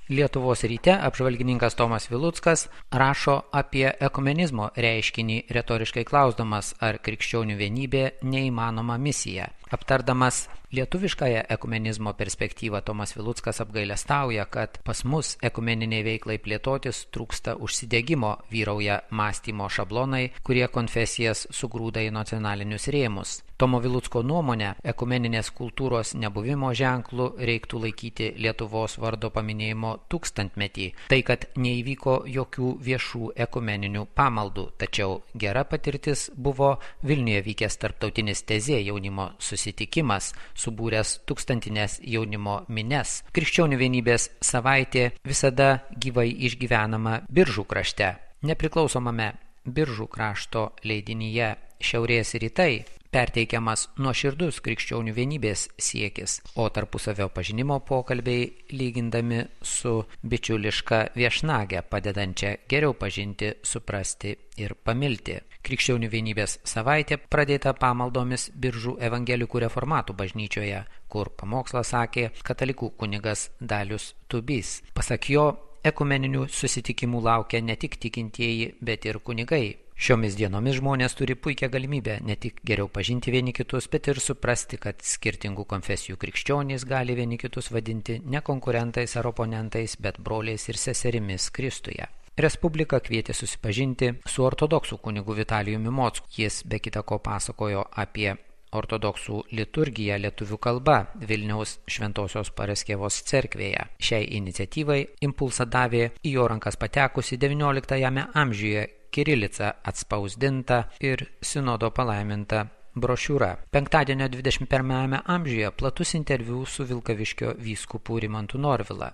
Lietuvos ryte apžvalgininkas Tomas Viluckas rašo apie ekumenizmo reiškinį, retoriškai klausdamas, ar krikščionių vienybė neįmanoma misija. Aptardamas lietuviškąją ekumenizmo perspektyvą, Tomas Viluckas apgailestauja, kad pas mus ekumeniniai veiklai plėtotis trūksta užsidegimo, vyrauja mąstymo šablonai, kurie konfesijas sugrūda į nacionalinius rėmus. Tomo Vilucko nuomonė, ekumeninės kultūros nebuvimo ženklų reiktų laikyti Lietuvos vardo paminėjimo tūkstantmetį. Tai, kad neįvyko jokių viešų ekumeninių pamaldų, tačiau gera patirtis buvo Vilniuje vykęs tarptautinis Tezė jaunimo susitikimas, subūręs tūkstantinės jaunimo mines. Krikščionių vienybės savaitė visada gyvai išgyvenama Biržų krašte. Nepriklausomame Biržų krašto leidinyje Šiaurės rytai perteikiamas nuoširdus krikščionių vienybės siekis, o tarpusavio pažinimo pokalbiai lygindami su bičiuliška viešnage, padedančia geriau pažinti, suprasti ir pamilti. Krikščionių vienybės savaitė pradėta pamaldomis Biržų evangelikų reformatų bažnyčioje, kur pamokslą sakė katalikų kunigas Dalius Tubys. Pasak jo, ekumeninių susitikimų laukia ne tik tikintieji, bet ir kunigai. Šiomis dienomis žmonės turi puikią galimybę ne tik geriau pažinti vieni kitus, bet ir suprasti, kad skirtingų konfesijų krikščionys gali vieni kitus vadinti ne konkurentais ar oponentais, bet broliais ir seserimis Kristuje. Respublika kvietė susipažinti su ortodoksų kunigu Vitalijumi Mocku. Jis be kita ko pasakojo apie ortodoksų liturgiją lietuvių kalba Vilniaus Šventosios Paraskevos cerkvėje. Šiai iniciatyvai impulsą davė į jo rankas patekusi XIX amžiuje kirilica atspausdinta ir sinodo palaiminta brošiūra. Penktadienio 21 amžiuje platus interviu su Vilkaviškio vyskupu Rimantu Norvila.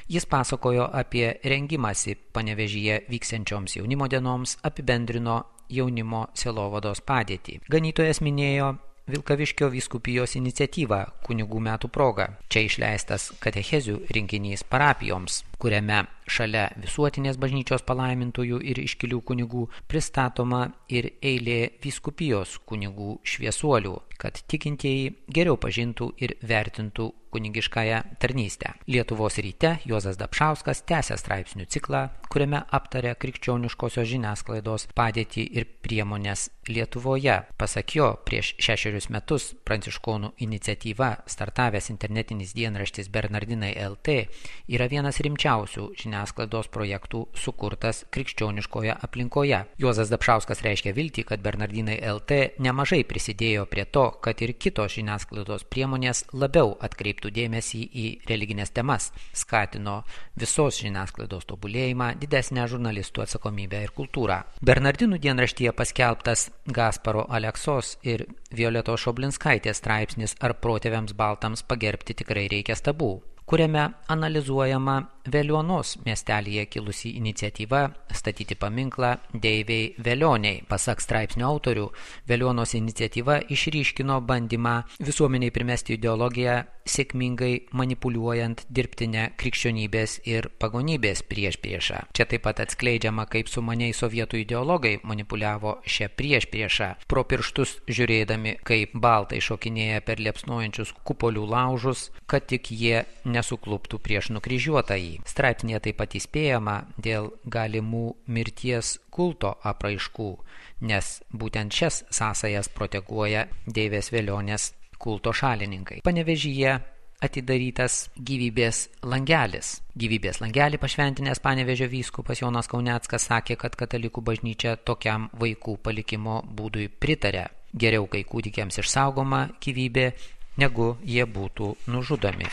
Jis pasakojo apie rengimąsi Panevėžyje vyksiančioms jaunimo dienoms, apibendrino jaunimo sielovados padėtį. Ganytojas minėjo Vilkaviškio vyskupijos iniciatyvą kunigų metų proga. Čia išleistas katechezių rinkinys parapijoms, kuriame šalia visuotinės bažnyčios palaimintųjų ir iškilių kunigų pristatoma ir eilė vyskupijos kunigų šviesuolių, kad tikintieji geriau pažintų ir vertintų kunigiškąją tarnystę. Lietuvos ryte Juozas Dapšauskas tęsia straipsnių ciklą, kuriame aptarė krikščioniškosios žiniasklaidos padėtį ir priemonės Lietuvoje. Pasak jo, prieš 6 metus pranciškonų iniciatyva startavęs internetinis dienraštis Bernardinai LT yra vienas rimčiausių žiniasklaidos projektų sukurtas krikščioniškoje aplinkoje. Juozas Dapšauskas reiškia viltį, kad Bernardinai LT nemažai prisidėjo prie to, kad ir kitos žiniasklaidos priemonės labiau atkreiptų dėmesį į religinės temas, skatino visos žiniasklaidos tobulėjimą, didesnę žurnalistų atsakomybę ir kultūrą. Bernardinų dienraštyje paskelbtas Gasparo Aleksos ir Violetos Šoblinskaitės straipsnis Ar protėviams baltams pagerbti tikrai reikia stabų, kuriame analizuojama Veliuonos miestelyje kilusi iniciatyva statyti paminklą deivei Velioniai. Pasak straipsnio autorių, Veliuonos iniciatyva išryškino bandymą visuomeniai primesti ideologiją, sėkmingai manipuliuojant dirbtinę krikščionybės ir pagonybės priešpriešą. Čia taip pat atskleidžiama, kaip sumaniai sovietų ideologai manipuliavo šią priešpriešą, pro pirštus žiūrėdami, kaip baltai šokinėja per liepsnojančius kupolių laužus, kad tik jie nesukluptų prieš nukryžiuotąjį. Straipsnėje taip pat įspėjama dėl galimų mirties kulto apraiškų, nes būtent šias sąsajas proteguoja deivės Velionės kulto šalininkai. Panevėžyje atidarytas gyvybės langelis. Gyvybės langelį pašventinęs Panevėžio vyskupas Jonas Kauneckas sakė, kad katalikų bažnyčia tokiam vaikų palikimo būdui pritarė. Geriau, kai kūdikiams išsaugoma gyvybė, negu jie būtų nužudomi.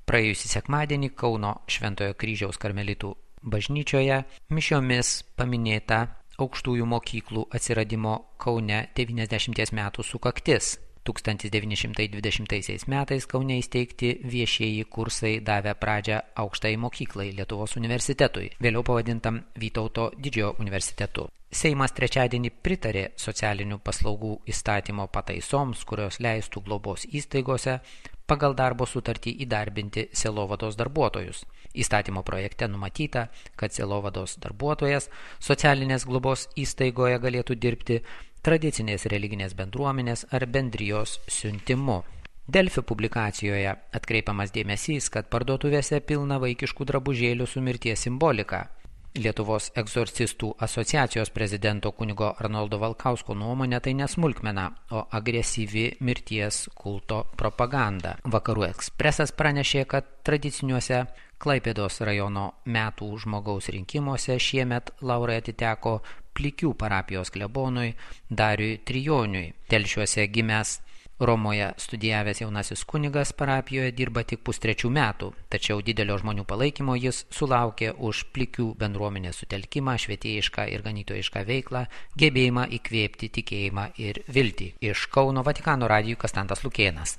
Praėjusį sekmadienį Kauno Šventojo Kryžiaus karmelitų bažnyčioje mišiomis paminėta aukštųjų mokyklų atsiradimo Kaune 90 metų sukaktis. 1920 metais Kaune įsteigti viešieji kursai davė pradžią aukštai mokyklai Lietuvos universitetui, vėliau pavadintam Vytauto Didžiojo universitetu. Seimas trečiadienį pritarė socialinių paslaugų įstatymo pataisoms, kurios leistų globos įstaigose pagal darbo sutartį įdarbinti sielovados darbuotojus. Įstatymo projekte numatyta, kad sielovados darbuotojas socialinės globos įstaigoje galėtų dirbti tradicinės religinės bendruomenės ar bendrijos siuntimu. Delfi publikacijoje atkreipiamas dėmesys, kad parduotuvėse pilna vaikiškų drabužėlių su mirties simbolika. Lietuvos egzorcistų asociacijos prezidento kunigo Arnoldo Valkausko nuomonė tai nesmulkmena, o agresyvi mirties kulto propaganda. Vakarų Ekspresas pranešė, kad tradiciniuose Klaipėdos rajono metų žmogaus rinkimuose šiemet laurai atiteko Plikių parapijos klebonui Dariui Trijoniui. Telšiuose gimęs Romoje studijavęs jaunasis kunigas parapijoje dirba tik 3 metų, tačiau didelio žmonių palaikymo jis sulaukė už Plikių bendruomenės sutelkimą, švietėjišką ir ganytojišką veiklą, gebėjimą įkvėpti tikėjimą ir viltį. Iš Kauno Vatikano radijui Konstantas Lukėnas.